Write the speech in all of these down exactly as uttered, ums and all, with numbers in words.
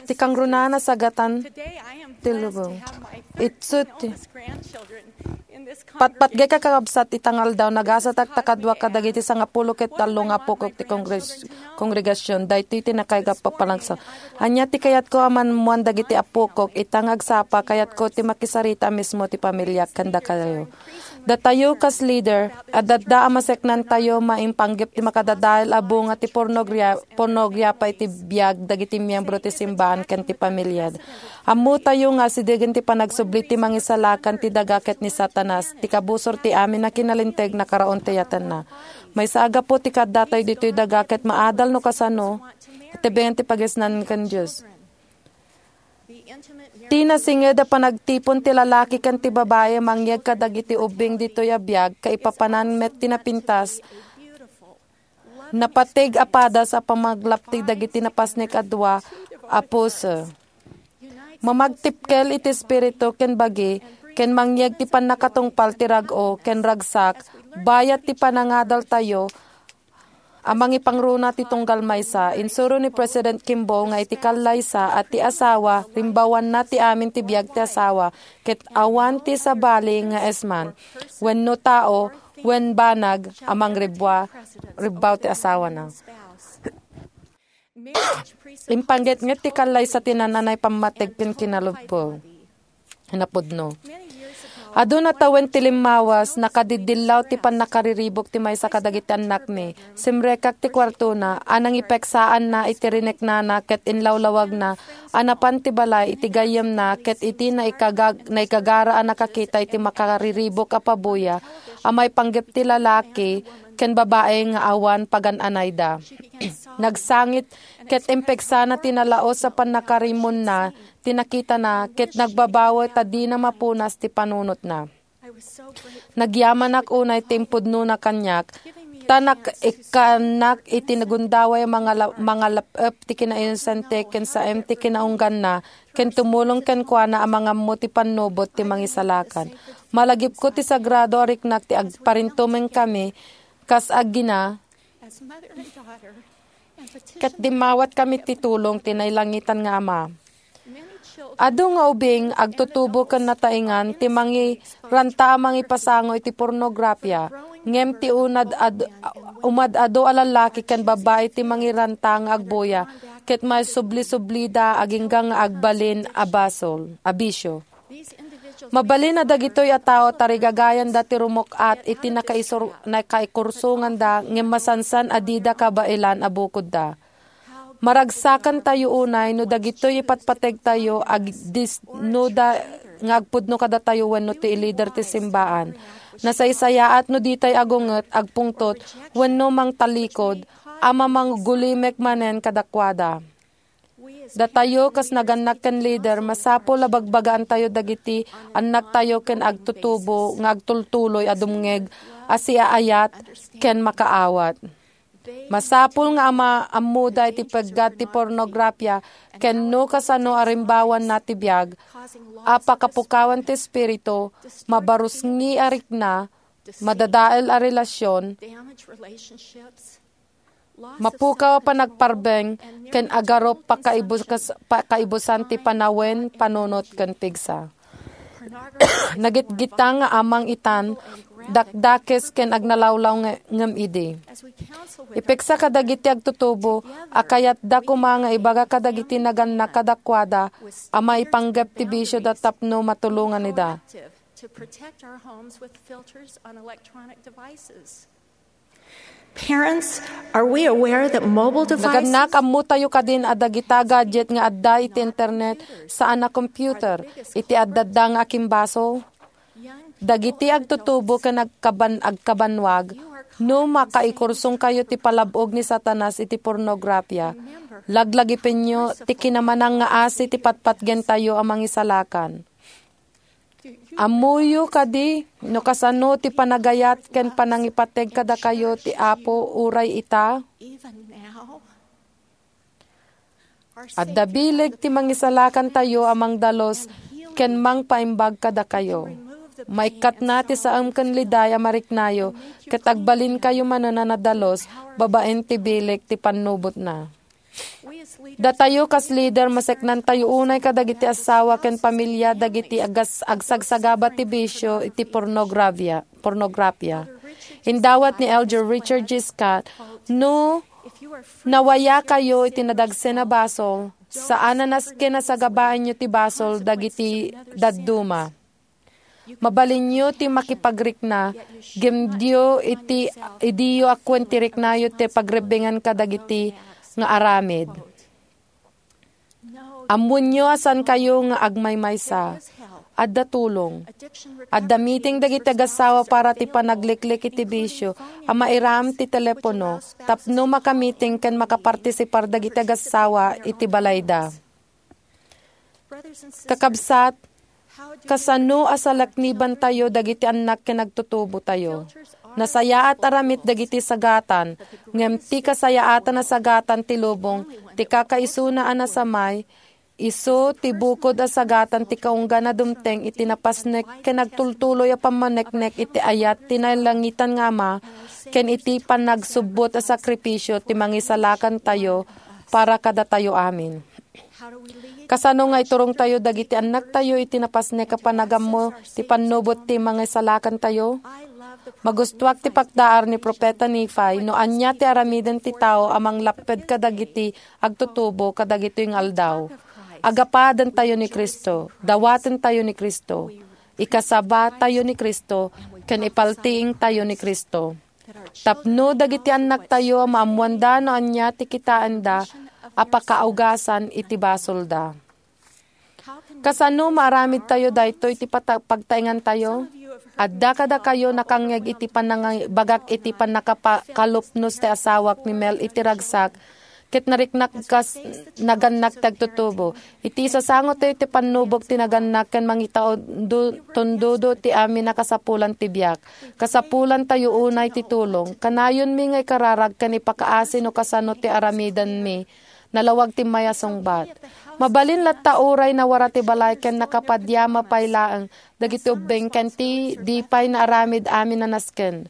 Ti kangrunaan a sagatan ti lubong. Itsu ti patpatgek a kakabsat ita nga aldaw, nagasatak ta kadua kadagiti sangapulo ket tallo nga apokok ti kongres-, kongregasion. Daytoy ti nakayga a papanagsa. Ania ti kayatko a maammuan dagiti apokok? Ita nga agsapa, kayatko ti makisarita a mismo ti pamiliak ken dakayo. Datayo kas leader, adda a maseknantayo maipanggep ti makadadael a bunga ti pornogria-, pornografi iti biag dagiti miyembro ti simbaan ken ti pamiliada. Ammotayo nga asidegen ti panagsubli ti mangisalakan ti daga ket ni Satanas, ti kabusor ti amin a kinalinteg, nakaraon ti ayatenna. Maysa a gapu ti kaaddatayo ditoy daga ket maadal no kasano, iti bengen ti pagisnan ken Dios. Ti nasinged a panagtipon ti lalaki ken ti babai a mangyeg kadagiti ubbing ditoy a biag, kaipapanan met ti napintas, napateg a padas a pamaglapti dagiti napasnek a dua a puso. Mamagtipkel iti espiritu ken bagi, ken mangyeg ti pannakatungpal ti rag-o ken ragsak, bayat ti panangadaltayo a mangipangruna ti tunggal maysa. Insuro ni President Kimball nga iti kallaysa a ti asawa, rimbawanna ti amin ti biag ti asawa, ket awan ti sabali nga esman, wenno tao, wen banag a mangribba, ribbaw ti asawana. Impangetnget ti kallaysa ti nananay pammateg ken kinalubpo. Napudno. Adu na tawen ti limmawas, nakadiddillaw ti pannakariribuk ti maysa kadagiti annakmi. Simrekak ti kuartona, a nangipeksaanna iti rineknana ket inlawlawagna a napan ti balay iti gayyemna ket iti naikagag-, naikagara a nakakita iti makariribuk a pabuya a maipanggep ti lalaki ken babai nga awan pagan-anayda. Nagsangit ket impeksana ti nalaus a pannakarimonna ti nakitana ket nagbabawi ta dina mapunas ti panunotna. Nagyamanak unay ti impudnona kaniak, ta nak-, ikkannak iti nagundaway a mangala-, mangalap-ep ti kinainosente ken saem ti kinaungganna, ken tumulong kenkuana a mangammo ti pannubot ti mangisalakan. Malagipko ti sagrado a riknak ti agparintumengkami kas agina, ket dimmawatkami ti tulong ti nailangitan nga Ama. Adu nga ubing agtutubo ken nataengan ti mangiranta a mangipasango iti pornografia, ngem ti unad ad-, umad-adu a lallaki ken babbai ti mangiranta nga agbuya, ket maisubli-sublida agingga nga agbalin a basol, a bisio. Mabalin a dagitoy a tao tarigagayanda ti rumuk-at iti nakaisur-, nakaikursonganda ngem masansan a dida kabaelan a bukodda. Maragsakantayo unay no dagitoy ipatpategtayo agdisnuda nga agpudno kadatayo wenno ti lider ti simbaan. Nasaysayaat no ditay agunget, agpungtot, wenno mangtalikod a mamanggulimek manen kadakuada. Datayo, kas nagannak ken lider, masapul a bagbagaantayo dagiti annaktayo ken agtutubo nga agtultuloy a dumngeg a siaayat ken makaawat. Masapul nga ama-, ammoda iti peggad ti pornografia ken no kasano a rimbawanna ti biag a pakapukawan ti espiritu, mabarusngi a rikna, madadael a relasion, mapukaw a panagparbeng, ken agarup pakaibukas-, pakaibusan ti panawen, panunot, ken pigsa. Nagitgita nga amang itan, dakdakes, ken agnalawlaw nge-, ngem idi. Ipeksa kadagiti agtutubo a kayatda koma nga ibaga kadagiti nagannak kadakuada a maipanggep ti bisioda tapno matulongan ida. Parents, are we aware that mobile devices Nagannak, ammotayo kadin a dagita gadget nga adda iti internet, saan a computer, iti adda nga akimbaso? Dagiti agtutubo ken agkaban-, agkabanwag, no makaikursongkayo ti palab-og ni Satanas iti pornografia, laglagipenyo ti kinamanangngaasi ti patpatgentayo a mangisalakan. Ammoyo kadi no kasano ti panagayat ken panangipateg kadakayo ti Apo uray ita? Adda bileg ti mangisalakantayo a mangdalus ken mangpaimbag kadakayo. Maikkatna ti saem ken liday a mariknayo, ket agbalinkayo manen a nadalus babaen ti bileg ti pannubotna. Datayo kas lider, maseknantayo unay kadagiti asawa ken pamilia dagiti agas-, agsagsagaba ti bisio iti pornografia, pornografia. Indawat ni Elder Richard G. Scott, "No nawayakayo iti nadagsen a basol, saan a nasken a sagabaenyo ti basol dagiti dadduma." Mabalinyo ti makipagrikna, ngem diyo iti, idiyo akken ti riknayo ti pagrebbengan kadagiti nga aramid. Ammoenyo a saankayo nga agmaymaysa. Adda tulong. Adda meeting dagiti agassawa para ti panagliklik iti bisio a mairam ti telepono tapno makamiting ken makapartisipar dagiti agassawa iti balayda. Kakabsat, kasano a salaknibantayo dagiti annak ken agtutubotayo? Nasayaat a ramit dagiti sagatan, ngem ti kasayaatan a sagatan ti lubong, ti kakaisuna a nasamay, isu ti bukod a sagatan ti kaunggan a dumteng iti napasnek ken agtultuloy a pammaneknek iti ayat ti nailangitan nga Ama ken iti panagsubbot a sakripisio ti mangisalakantayo para kadatayo amin. Kasano nga iturongtayo dagiti annaktayo iti napasnek a panagammo ti pannubot ti mangisalakantayo? Magustuak ti pakdaar ni Profeta Nefi no ania ti aramiden ti tao a manglapped kadagiti agtutubo kadagitoy nga aldaw. Agapadentayo ni Cristo, dawatentayo ni Cristo, ikasabatayo ni Cristo, ken ipaltiingtayo ni Cristo. Tapno dagiti annaktayo a maammoanda no ania ti kitaenda a pakaugasan iti basolda. Kasano maaramidtayo daytoy ti pata-, pagtaengantayo? Adda kadakayo nakangngeg iti panangibagak iti pannakakalupnos ti asawak ni Mel iti ragsak, ket nariknak kas nagannak ti agtutubo. Iti sasangotayo ti pannubog ti nagannak ken mangitaondo-, tondodo ti amin a kasapulan ti biag. Kasapulantayo unay ti tulong. Kanayonmi nga ikararag ken ipakaasi no kasano ti aramidenmi. Nalawag ti mayasungbat. Mabalin latta uray nawara ti balay ken nakapadyama pay laeng dagiti ubbing ken ti di pay naaramid amin a nasken.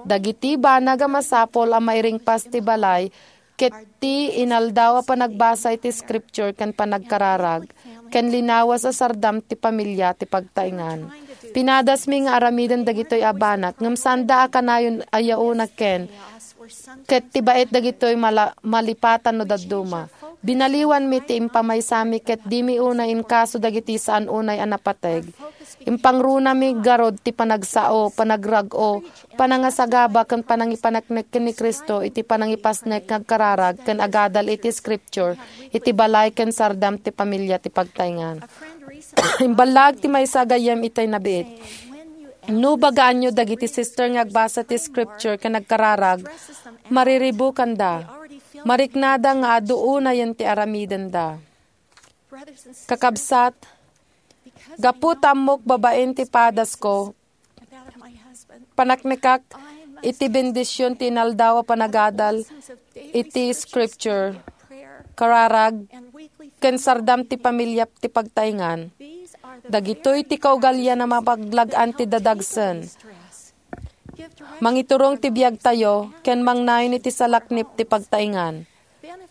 Dagiti banag a masapul a mairingpas ti balay ket ti inaldaw a panagbasa iti Scripture ken panagkararag, ken linawas a sardam ti pamilia ti pagtaengan. Pinadasmi nga aramiden dagitoy a banag, ngem saanda a kanayon a yaona ken, ket ti baet dagitoy mala-, malipatan no dadduma. Binaliwanmi ti impamaysami ket dimi unay inkaso dagiti saan unay a napateg. Impangrunami garud ti panagsao, panagrag-o, panangasagaba ken panangipaneknek ken ni Cristo iti panangipasnek nga agkararag ken agadal iti Scripture iti balay ken sardam ti pamilia ti pagtaengan. Imballaag ti maysa a gayyem itay nabiit. No bagaanyo dagiti sister nga agbasa ti Scripture ken agkararag, mariribukanda. Mariknada nga adu unayen ti aramidenda. Kakabsat, gapu ta ammok babaen ti padasko, paneknekak iti bendision ti inaldaw a panagadal iti Scripture, kararag, ken sardam ti pamilia ti pagtaengan. Dagitoy ti kaugalian a mapaglag-an ti dadagsen. Mangiturong ti biagtayo ken mangnayon iti salaknip ti pagtaengan.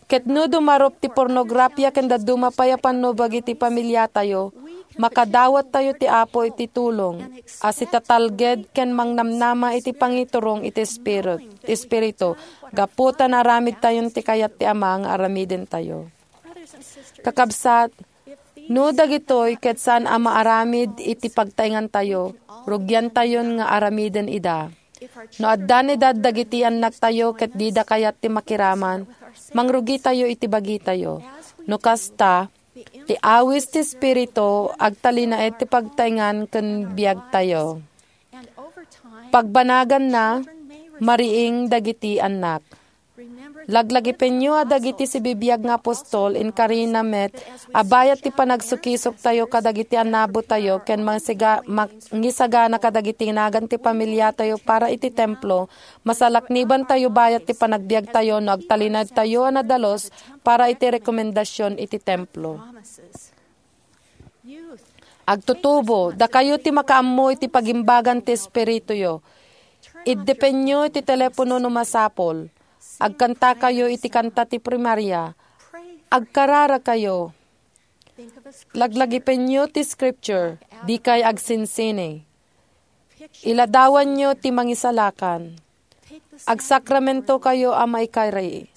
Ket no dumarup ti pornografia ken dadduma pay a pannubag iti pamiliatayo, makadawattayo ti Apo iti tulong a sitatalged ken mangnamnama iti pangiturong iti Espirit-, Espiritu, gapu ta naaramidtayon ti kayat ti Ama nga aramidentayo. Kakabsat, no dagitoy ket saan a maaramid iti pagtaengantayo, rugiantayon nga aramiden ida. No adda ni dad dagiti annaktayo ket dida kayat ti makiraman, mangrugitayo iti bagitayo. No kasta, ti awis ti Espiritu agtalinaed ti pagtaengan ken biagtayo. Pagbanaganna, mariing dagiti annak. Laglagipenyo a dagiti sibibiag nga apostol, inkarina met a bayat ti panagsukisoktayo kadagiti annabotayo ken mangsiga-, mangisagana kadagiti nagan ti pamiliatayo para iti templo, masalaknibantayo bayat ti panagbiagtayo no agtalinaedtayo a nadalus para iti rekomendasion iti templo. Agtutubo, dakayo ti makaammo iti pagimbagan ti espirituyo. Iddepenyo iti telepono no masapul. Agkantakayo iti kanta ti primaria. Agkararagkayo. Laglagipenyo ti scripture, dikay agsinsini. Iladawanyo ti mangisalakan. Agsakramentokayo a maikari.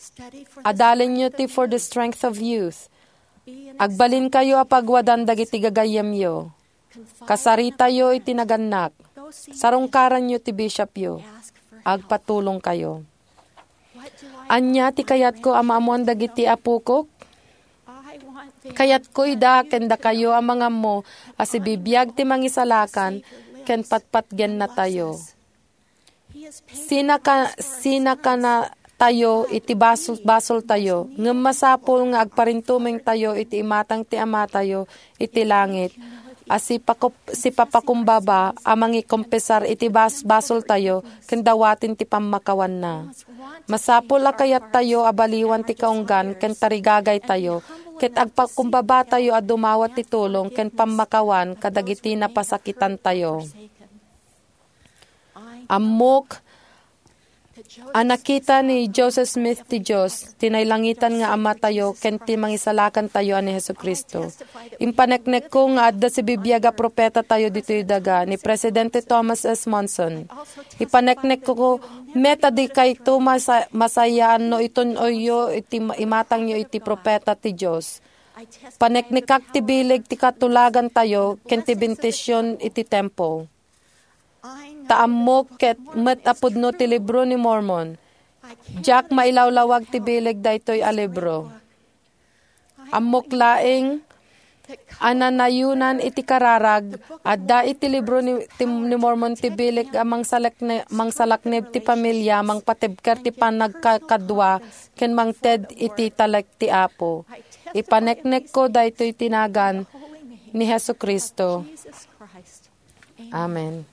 Adalenyo ti For the Strength of Youth. Agbalinkayo a pagwadan dagiti gagayyemyo. Kasaritayo iti nagannak. Sarungkaranyo ti bishopyo. Agpatulongkayo. Ania ti kayatko a maammoan dagiti apokok? Kayatko ida ken dakayo a mangammo a sibibiag ti mangisalakan ken patpatgennatayo. Sinaka-, sinakanatayo iti basol-, basoltayo, ngem masapul nga agparintumengtayo iti imatang ti Amatayo iti langit a sipakup-, sipapakumbaba a mangikompesar iti bas-, basoltayo ken dawaten ti pammakawanna. Masapul a kayattayo a baliwan ti kaunggan ken tarigagaytayo, ket agpakumbabatayo a dumawat ti tulong ken pammakawan kadagiti napasakitantayo. Ammok a nakita ni Joseph Smith ti Dios, ti nailangitan nga Amatayo, ken ti Mangisalakantayo a ni Jesu-Cristo. Impaneknekko nga adda sibibiag a propetatayo ditoy daga ni Presidente Thomas S. Monson. Ipaneknekko met a dikayto masa-, masayaanno itun-oyyo iti ma-, imatangyo iti propeta ti Dios. Paneknekak ti bileg ti katulagantayo ken ti bendision iti tempo. Ta ammok ket met a pudno ti libro ni Mormon. Diak mailawlawag ti bileg daytoy a libro. Ammok laeng a nanayonan iti kararag, adda iti libro ni, ti, ni Mormon ti bileg a mangsalakne-, mangsalaknib ti pamilia, mangpatibker ti panagkakadua, ken mangted iti talek ti Apo. Ipaneknekko daytoy ti nagan ni Jesu-Cristo. Amen.